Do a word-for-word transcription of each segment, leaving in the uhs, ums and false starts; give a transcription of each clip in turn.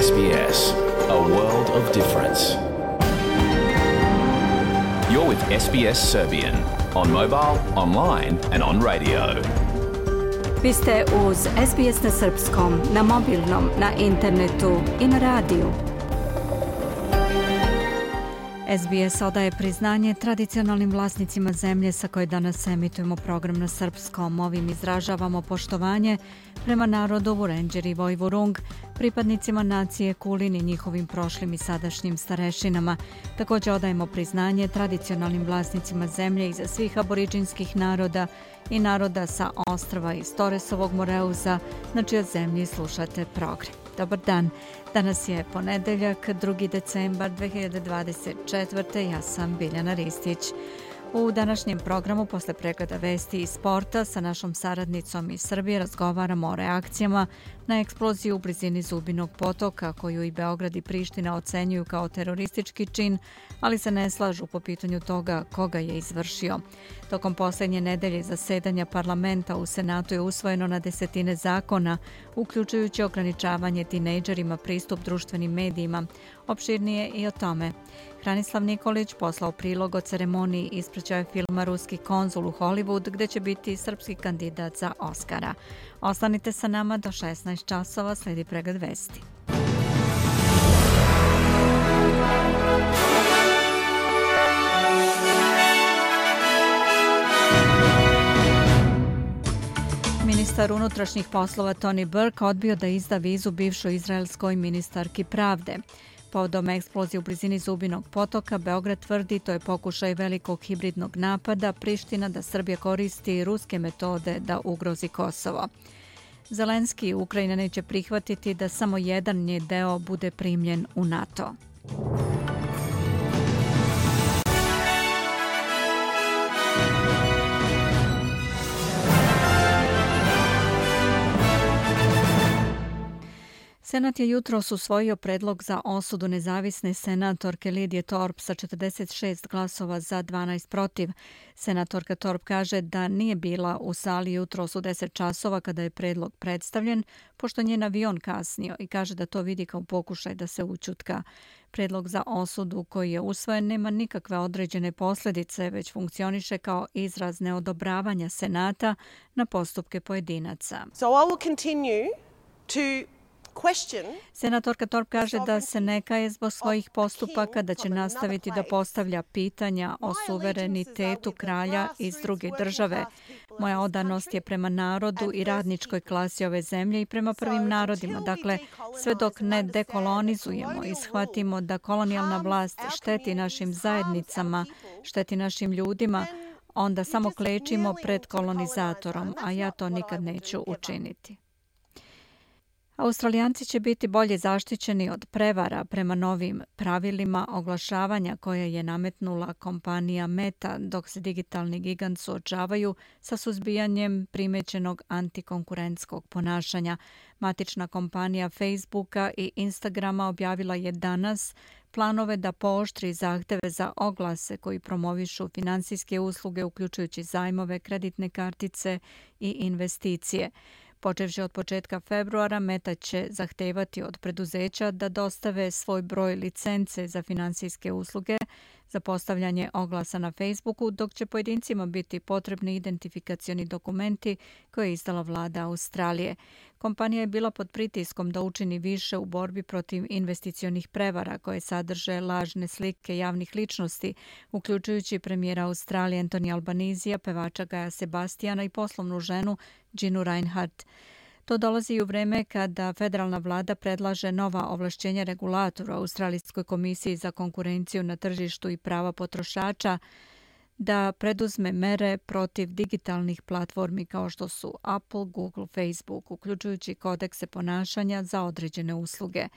S B S, a world of difference. You're with S B S Serbian on mobile, online and on radio. Vi ste uz S B S na srpskom, na mobilnom, na internetu i na radiju. S B S odaje priznanje tradicionalnim vlasnicima zemlje sa koje danas emitujemo program na srpskom. Ovim izražavamo poštovanje prema narodu Vurenđeri i Vojvurung, pripadnicima nacije Kulin i njihovim prošlim i sadašnjim starešinama. Također odajemo priznanje tradicionalnim vlasnicima zemlje iza svih aboriđinskih naroda i naroda sa ostrva iz Toresovog Moreuza, na čijoj zemlji slušate program. Dobar dan, danas je ponedeljak, drugi decembar dve hiljade dvadeset četvrte. Ja sam Biljana Ristić. U današnjem programu, posle pregleda vesti i sporta, sa našom saradnicom iz Srbije razgovaramo o reakcijama na eksploziju u blizini Zubinog potoka, koju i Beograd i Priština ocenjuju kao teroristički čin, ali se ne slažu po pitanju toga koga je izvršio. Tokom posljednje nedelje zasedanja parlamenta u Senatu je usvojeno na desetine zakona, uključujući ograničavanje tinejdžerima pristup društvenim medijima. Opširnije i o tome. Hranislav Nikolić poslao prilog o ceremoniji ispraćaja filma Ruski konzul u Hollywood, gde će biti srpski kandidat za Oscara. Ostanite sa nama do šesnaest časova, sledi pregled vesti. Ministar unutrašnjih poslova Tony Burke odbio da izda vizu bivšoj izraelskoj ministarki pravde. Povodom eksplozije u blizini Zubinog potoka, Beograd tvrdi to je pokušaj velikog hibridnog napada, Priština da Srbija koristi ruske metode da ugrozi Kosovo. Zelenski Ukrajina neće prihvatiti da samo jedan njen deo bude primljen u NATO. Senat je jutros usvojio predlog za osudu nezavisne senatorke Lidije Torp sa četrdeset šest glasova za, dvanaest protiv. Senatorka Torp kaže da nije bila u sali jutros u deset časova kada je predlog predstavljen, pošto njen avion kasnio, i kaže da to vidi kao pokušaj da se ućutka. Predlog za osudu koji je usvojen nema nikakve određene posljedice, već funkcioniše kao izraz neodobravanja Senata na postupke pojedinaca. So I will continue to Senatorka Torp kaže da se ne kaje zbog svojih postupaka, da će nastaviti da postavlja pitanja o suverenitetu kralja iz druge države. Moja odanost je prema narodu i radničkoj klasi ove zemlje i prema prvim narodima. Dakle, sve dok ne dekolonizujemo i shvatimo da kolonijalna vlast šteti našim zajednicama, šteti našim ljudima, onda samo klečimo pred kolonizatorom, a ja to nikad neću učiniti. Australijanci će biti bolje zaštićeni od prevara prema novim pravilima oglašavanja koje je nametnula kompanija Meta, dok se digitalni gigant suočavaju sa suzbijanjem primećenog antikonkurentskog ponašanja. Matična kompanija Facebooka i Instagrama objavila je danas planove da pooštri zahteve za oglase koji promovišu finansijske usluge, uključujući zajmove, kreditne kartice i investicije. Počevši od početka februara, Meta će zahtevati od preduzeća da dostave svoj broj licence za finansijske usluge za postavljanje oglasa na Facebooku, dok će pojedincima biti potrebni identifikacioni dokumenti koje je izdala vlada Australije. Kompanija je bila pod pritiskom da učini više u borbi protiv investicionih prevara koje sadrže lažne slike javnih ličnosti, uključujući premijera Australije Anthony Albanizija, pevača Gaja Sebastijana i poslovnu ženu Ginu Reinhardt. To dolazi i u vreme kada federalna vlada predlaže nova ovlašćenja regulatora Australijskoj komisiji za konkurenciju na tržištu i prava potrošača da preduzme mere protiv digitalnih platformi kao što su Apple, Google, Facebook, uključujući kodekse ponašanja za određene usluge.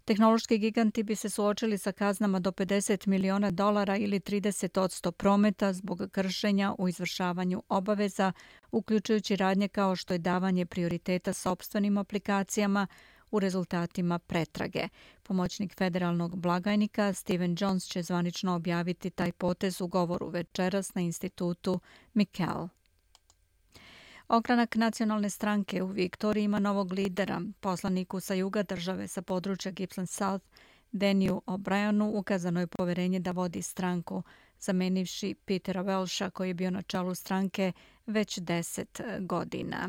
Tehnološki giganti bi se suočili sa kaznama do pedeset miliona dolara ili trideset posto prometa zbog kršenja u izvršavanju obaveza, uključujući radnje kao što je davanje prioriteta sopstvenim aplikacijama u rezultatima pretrage. Pomoćnik federalnog blagajnika Steven Jones će zvanično objaviti taj potez u govoru večeras na institutu Mikel. Ogranak nacionalne stranke u Viktoriji ima novog lidera. Poslaniku sa juga države sa područja Gippsland South, Deniju O'Brienu, ukazano je poverenje da vodi stranku, zamenivši Petera Welsha koji je bio na čelu stranke već deset godina.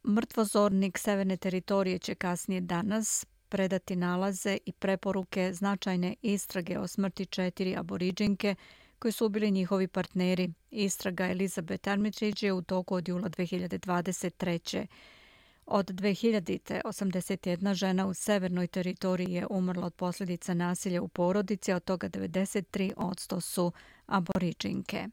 Mrtvozornik Severne teritorije će kasnije danas predati nalaze i preporuke značajne istrage o smrti četiri aboriđinke koji su ubili njihovi partneri. Istraga Elizabeth Armitage je u toku od jula dve hiljade dvadeset treće. Od dve hiljadite osamdeset jedna žena u severnoj teritoriji je umrla od posljedica nasilja u porodici, a od toga devedeset tri posto su aboriđinke.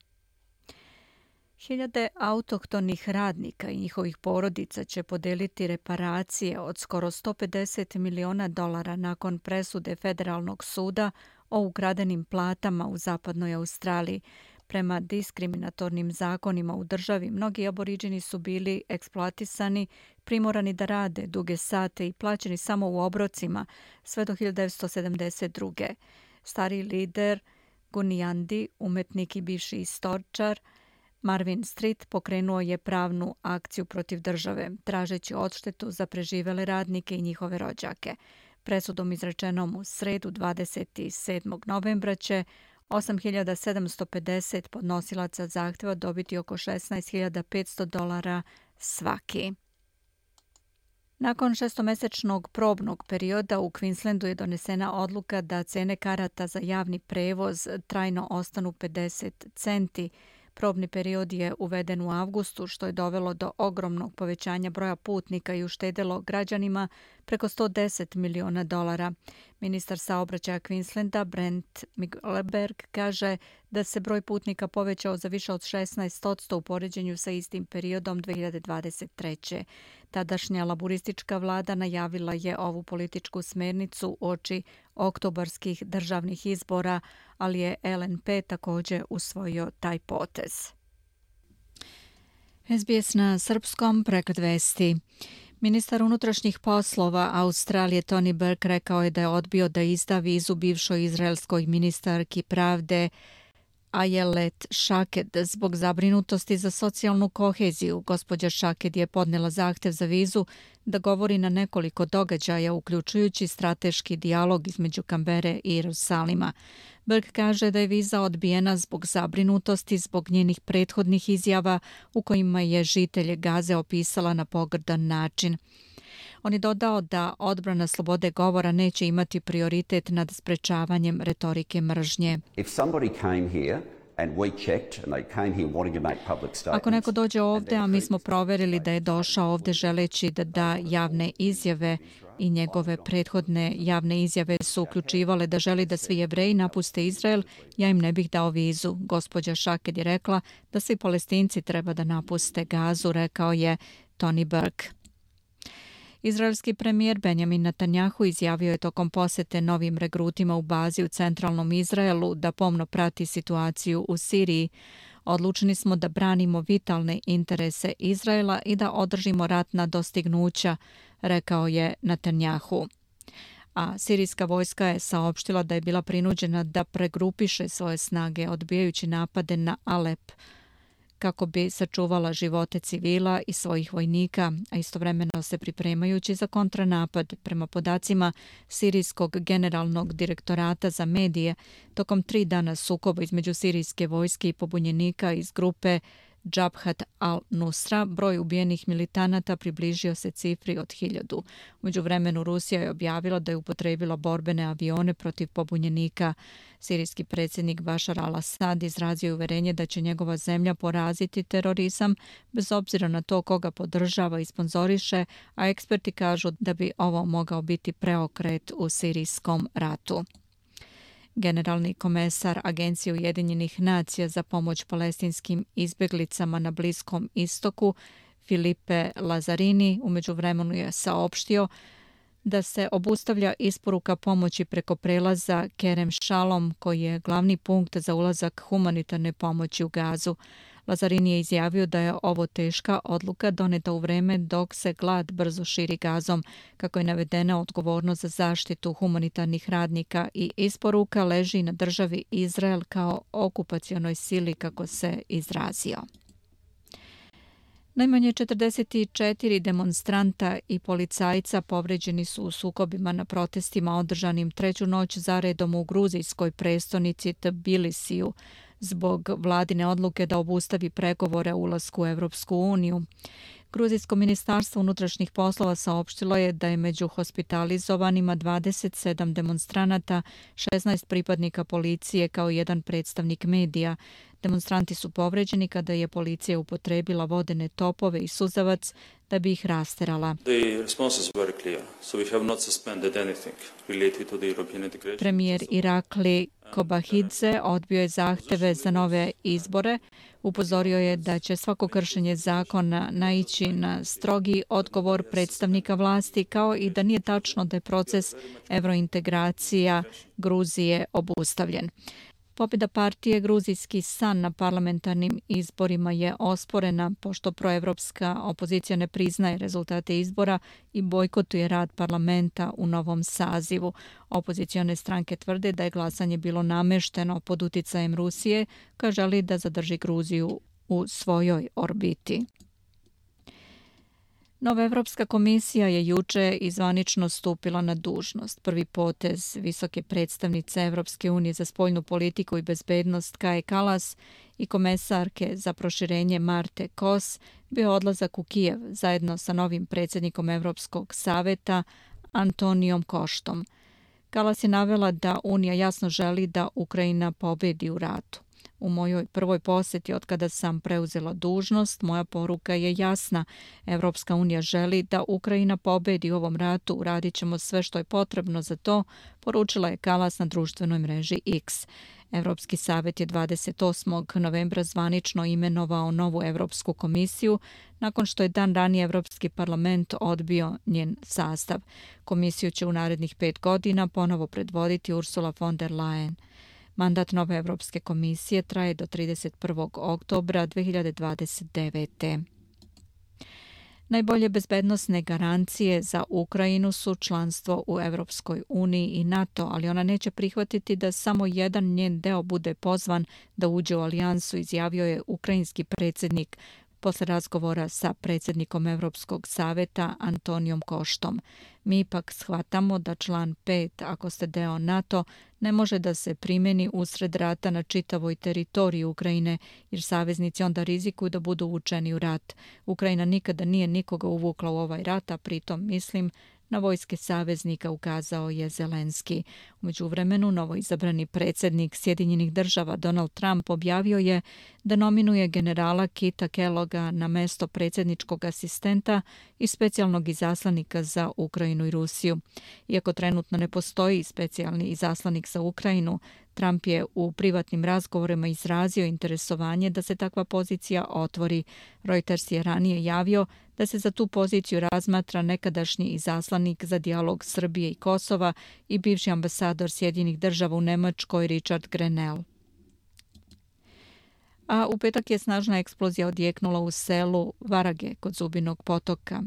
Hiljade autohtonih radnika i njihovih porodica će podeliti reparacije od skoro sto pedeset miliona dolara nakon presude Federalnog suda o ukradenim platama u zapadnoj Australiji. Prema diskriminatornim zakonima u državi, mnogi aboriđini su bili eksploatisani, primorani da rade duge sate i plaćeni samo u obrocima sve do hiljadu devetsto sedamdeset druge. Stari lider Gunijandi, umetnik i bivši istoričar, Marvin Street pokrenuo je pravnu akciju protiv države, tražeći odštetu za preživele radnike i njihove rođake. Presudom izrečenom u sredu dvadeset sedmog novembra će osam hiljada sedamsto pedeset podnosilaca zahtjeva dobiti oko šesnaest hiljada petsto dolara svaki. Nakon šestomesečnog probnog perioda u Queenslandu je donesena odluka da cene karata za javni prevoz trajno ostanu pedeset centi. Probni period je uveden u avgustu, što je dovelo do ogromnog povećanja broja putnika i uštedelo građanima preko sto deset miliona dolara. Ministar saobraćaja Queenslanda Brent Mickelberg kaže da se broj putnika povećao za više od šesnaest posto u poređenju sa istim periodom dve hiljade dvadeset treće. Tadašnja laburistička vlada najavila je ovu političku smernicu uoči oktobarskih državnih izbora, ali je L N P također usvojio taj potez. S B S na srpskom, pregled vesti. Ministar unutrašnjih poslova Australije Tony Burke rekao je da je odbio da izda vizu bivšoj izraelskoj ministarki pravde Ayelet Shaked zbog zabrinutosti za socijalnu koheziju. Gospođa Shaked je podnela zahtjev za vizu da govori na nekoliko događaja, uključujući strateški dijalog između Kambere i Jerusalima. Burke kaže da je viza odbijena zbog zabrinutosti zbog njenih prethodnih izjava u kojima je žitelje Gaze opisala na pogrdan način. On je dodao da odbrana slobode govora neće imati prioritet nad sprečavanjem retorike mržnje. Ako neko dođe ovdje, a mi smo proverili da je došao ovdje želeći da da javne izjave i njegove prethodne javne izjave su uključivale da želi da svi Jevreji napuste Izrael, ja im ne bih dao vizu. Gospođa Shaked je rekla da svi Palestinci treba da napuste Gazu, rekao je Tony Burke. Izraelski premijer Benjamin Netanjahu izjavio je tokom posete novim regrutima u bazi u centralnom Izraelu da pomno prati situaciju u Siriji. Odlučni smo da branimo vitalne interese Izraela i da održimo ratna dostignuća, rekao je Netanjahu. A sirijska vojska je saopštila da je bila prinuđena da pregrupiše svoje snage odbijajući napade na Alep, kako bi sačuvala živote civila i svojih vojnika, a istovremeno se pripremajući za kontranapad. Prema podacima Sirijskog generalnog direktorata za medije, tokom tri dana sukoba između sirijske vojske i pobunjenika iz grupe Jabhat al-Nusra, broj ubijenih militanata približio se cifri od hiljadu. U međuvremenu Rusija je objavila da je upotrebila borbene avione protiv pobunjenika. Sirijski predsjednik Bashar al-Assad izrazio je uverenje da će njegova zemlja poraziti terorizam bez obzira na to koga podržava i sponzoriše, a eksperti kažu da bi ovo mogao biti preokret u sirijskom ratu. Generalni komesar Agencije Ujedinjenih nacija za pomoć palestinskim izbjeglicama na Bliskom istoku Filipe Lazzarini u međuvremenu je saopštio da se obustavlja isporuka pomoći preko prelaza Kerem Shalom, koji je glavni punkt za ulazak humanitarne pomoći u Gazu. Lazzarini je izjavio da je ovo teška odluka doneta u vreme dok se glad brzo širi Gazom. Kako je navedena, odgovornost za zaštitu humanitarnih radnika i isporuka leži na državi Izrael kao okupacionoj sili, kako se izrazio. Najmanje četrdeset četiri demonstranta i policajca povređeni su u sukobima na protestima održanim treću noć zaredom u gruzijskoj prestonici Tbilisiju zbog vladine odluke da obustavi pregovore o ulasku u Evropsku uniju. Gruzijsko ministarstvo unutrašnjih poslova saopštilo je da je među hospitalizovanima dvadeset sedam demonstranata, šesnaest pripadnika policije kao jedan predstavnik medija. Demonstranti su povređeni kada je policija upotrebila vodene topove i suzavac da bi ih rasterala. Premijer Irakli Kobahidze odbio je zahteve za nove izbore. Upozorio je da će svako kršenje zakona naići na strogi odgovor predstavnika vlasti, kao i da nije tačno da je proces evrointegracija Gruzije obustavljen. Pobjeda partije Gruzijski san na parlamentarnim izborima je osporena pošto proevropska opozicija ne priznaje rezultate izbora i bojkotuje rad parlamenta u novom sazivu. Opozicione stranke tvrde da je glasanje bilo namešteno pod uticajem Rusije, koja želi da zadrži Gruziju u svojoj orbiti. Nova Evropska komisija je juče i zvanično stupila na dužnost. Prvi potez visoke predstavnice Evropske unije za spoljnu politiku i bezbednost Kaje Kalas i komesarke za proširenje Marte Kos bio odlazak u Kijev zajedno sa novim predsjednikom Evropskog saveta Antonijom Koštom. Kalas je navela da Unija jasno želi da Ukrajina pobedi u ratu. U mojoj prvoj posjeti od kada sam preuzela dužnost, moja poruka je jasna. Evropska unija želi da Ukrajina pobedi u ovom ratu. Uradit ćemo sve što je potrebno za to, poručila je Kalas na društvenoj mreži X. Evropski savjet je dvadeset osmog novembra zvanično imenovao novu Evropsku komisiju nakon što je dan ranije Evropski parlament odbio njen sastav. Komisiju će u narednih pet godina ponovo predvoditi Ursula von der Leyen. Mandat nove Evropske komisije traje do trideset prvog oktobra dve hiljade dvadeset devete. Najbolje bezbednosne garancije za Ukrajinu su članstvo u Evropskoj uniji i NATO, ali ona neće prihvatiti da samo jedan njen deo bude pozvan da uđe u alijansu, izjavio je ukrajinski predsjednik posle razgovora sa predsjednikom Evropskog saveta Antonijom Koštom. Mi ipak shvatamo da član pet, ako ste deo NATO, ne može da se primjeni usred rata na čitavoj teritoriji Ukrajine, jer saveznici onda rizikuju da budu uvučeni u rat. Ukrajina nikada nije nikoga uvukla u ovaj rat, a pritom mislim na vojske saveznika, ukazao je Zelenski. U međuvremenu, novoizabrani predsjednik Sjedinjenih država Donald Trump objavio je da nominuje generala Kita Kelloga na mesto predsjedničkog asistenta i specijalnog izaslanika za Ukrajinu i Rusiju. Iako trenutno ne postoji specijalni izaslanik za Ukrajinu, Trump je u privatnim razgovorima izrazio interesovanje da se takva pozicija otvori. Reuters je ranije javio da se za tu poziciju razmatra nekadašnji izaslanik za dijalog Srbije i Kosova i bivši ambasador Sjedinjenih država u Nemačkoj Richard Grenell. A u petak je snažna eksplozija odjeknula u selu Varage kod Zubinog potoka.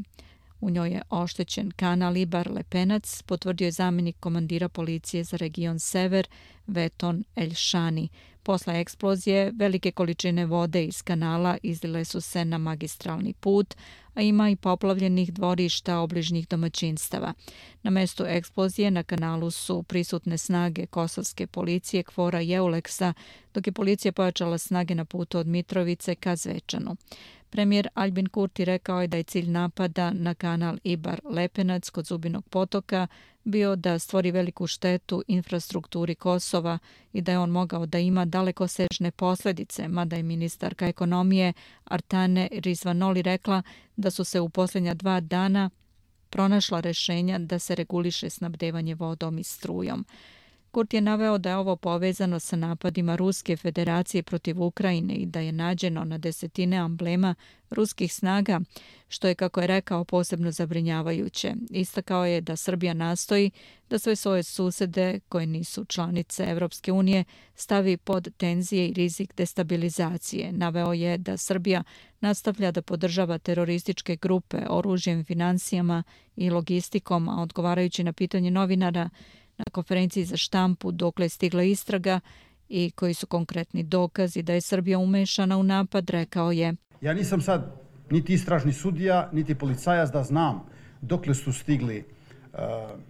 U njoj je oštećen kanal Ibar Lepenac, potvrdio je zamjenik komandira policije za region Sever Veton Elšani. Posle eksplozije velike količine vode iz kanala izlile su se na magistralni put, a ima i poplavljenih dvorišta obližnjih domaćinstava. Na mestu eksplozije na kanalu su prisutne snage kosovske policije Kvora i Euleksa, dok je policija pojačala snage na putu od Mitrovice ka Zvečanu. Premijer Albin Kurti rekao je da je cilj napada na kanal Ibar Lepenac kod Zubinog potoka bio da stvori veliku štetu infrastrukturi Kosova i da je on mogao da ima dalekosežne posljedice, mada je ministarka ekonomije Artane Rizvanoli rekla da su se u posljednja dva dana pronašla rješenja da se reguliše snabdevanje vodom i strujom. Kurti je naveo da je ovo povezano sa napadima Ruske federacije protiv Ukrajine i da je nađeno na desetine amblema ruskih snaga, što je, kako je rekao, posebno zabrinjavajuće. Istakao je da Srbija nastoji da sve svoje susede, koje nisu članice Evropske unije, stavi pod tenzije i rizik destabilizacije. Naveo je da Srbija nastavlja da podržava terorističke grupe oružjem, financijama i logistikom, a odgovarajući na pitanje novinara na konferenciji za štampu dokle je stigla istraga i koji su konkretni dokazi da je Srbija umešana u napad, rekao je: Ja nisam sad niti istražni sudija, niti policajac da znam dokle su stigli uh,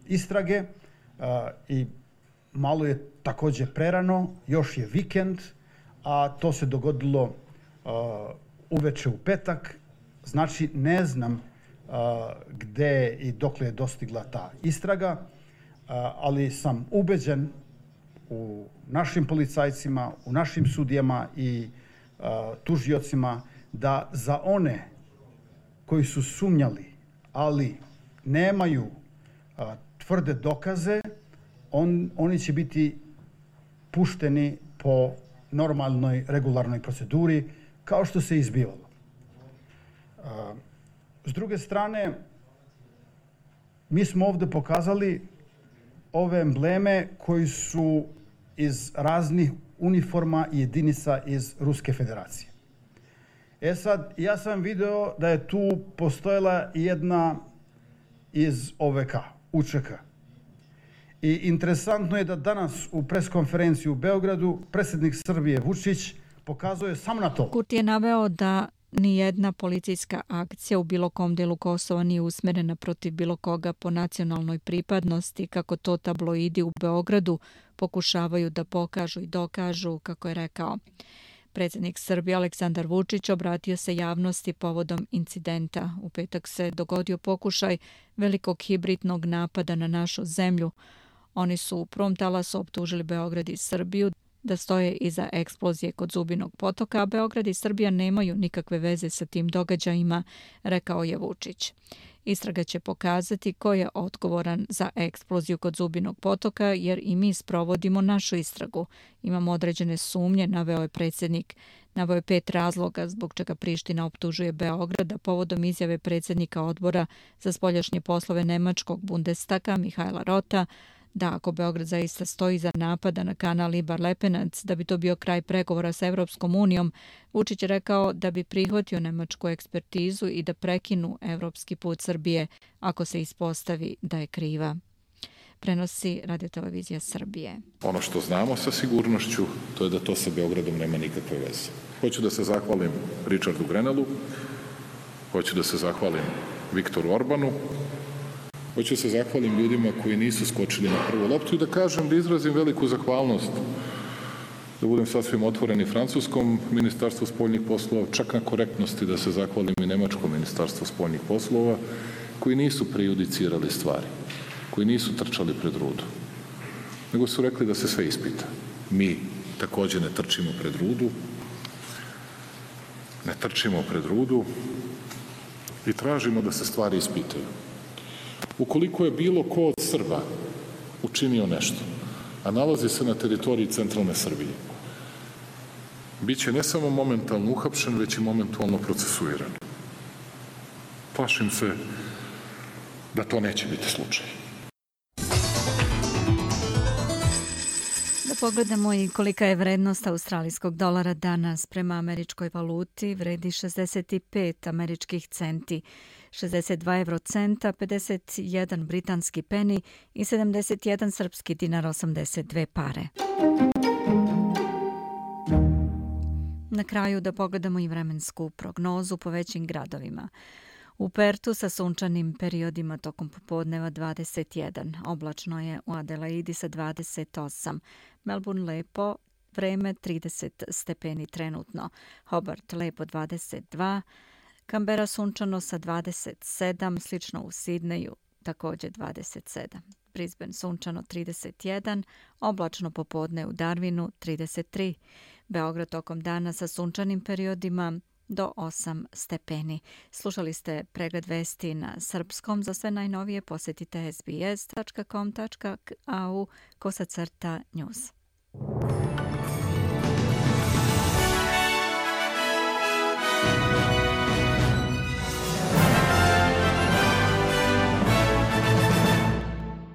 istrage uh, i malo je također prerano, još je vikend, a to se dogodilo uh, uveče u petak, znači ne znam uh, gde i dokle je dostigla ta istraga, uh, ali sam ubeđen u našim policajcima, u našim sudijama i uh, tužiocima da za one koji su sumnjali, ali nemaju uh, tvrde dokaze, on, oni će biti pušteni po normalnoj, regularnoj proceduri, kao što se izbivalo. Uh, s druge strane, mi smo ovdje pokazali ove embleme koji su iz raznih uniforma i jedinica iz Ruske federacije. E sad, ja sam video da je tu postojala jedna iz O V K, U Č K. I interesantno je da danas u preskonferenciji u Beogradu predsjednik Srbije Vučić pokazuje samo na to. Kurti je naveo da nijedna policijska akcija u bilo kom delu Kosova nije usmjerena protiv bilo koga po nacionalnoj pripadnosti, kako to tabloidi u Beogradu pokušavaju da pokažu i dokažu, kako je rekao. Predsjednik Srbije Aleksandar Vučić obratio se javnosti povodom incidenta. U petak se dogodio pokušaj velikog hibridnog napada na našu zemlju. Oni su u prvom talasu optužili Beograd i Srbiju da stoje iza eksplozije kod Zubinog potoka, a Beograd i Srbija nemaju nikakve veze sa tim događajima, rekao je Vučić. Istraga će pokazati ko je odgovoran za eksploziju kod Zubinog potoka, jer i mi sprovodimo našu istragu. Imamo određene sumnje, naveo je predsjednik. Naveo je pet razloga zbog čega Priština optužuje Beograd, a povodom izjave predsjednika odbora za spoljašnje poslove Nemačkog Bundestaga Mihajla Rota, da ako Beograd zaista stoji za napada na kanal Ibar-Lepenac, da bi to bio kraj pregovora sa Evropskom unijom, Vučić je rekao da bi prihvatio nemačku ekspertizu i da prekinu evropski put Srbije ako se ispostavi da je kriva. Prenosi Radiotelevizija Srbije. Ono što znamo sa sigurnošću, to je da to sa Beogradom nema nikakve veze. Hoću da se zahvalim Richardu Grenellu, hoću da se zahvalim Viktoru Orbanu, hoću se zahvalim ljudima koji nisu skočili na prvu loptu i da kažem, da izrazim veliku zahvalnost, da budem sasvim otvoreni francuskom ministarstvu spoljnih poslova, čak na korektnosti da se zahvalim i nemačkom ministarstvu spoljnih poslova, koji nisu prejudicirali stvari, koji nisu trčali pred rudu, nego su rekli da se sve ispita. Mi također ne trčimo pred rudu, ne trčimo pred rudu i tražimo da se stvari ispitaju. Ukoliko je bilo ko od Srba učinio nešto, a nalazi se na teritoriji centralne Srbije, bit će ne samo momentalno uhapšen, već i momentalno procesuiran. Plašim se da to neće biti slučaj. Da pogledamo i kolika je vrednost australijskog dolara danas prema američkoj valuti, vredi šezdeset pet američkih centi, šezdeset dva evrocenta, pedeset jedan britanski peni i sedamdeset jedan srpski dinar osamdeset dve pare. Na kraju da pogledamo i vremensku prognozu po većim gradovima. U Pertu sa sunčanim periodima tokom popodneva dvadeset jedan, oblačno je u Adelaidi sa dvadeset osam, Melbourne lepo, vreme trideset stepeni trenutno, Hobart lepo dvadeset dva, Canberra sunčano sa dvadeset sedam, slično u Sidneju također dvadeset sedam. Brisbane sunčano trideset jedan, oblačno popodne u Darwinu trideset tri, Beograd tokom dana sa sunčanim periodima do osam stepeni. Slušali ste pregled vesti na srpskom. Za sve najnovije posjetite s b s dot com dot a u kosacrta news.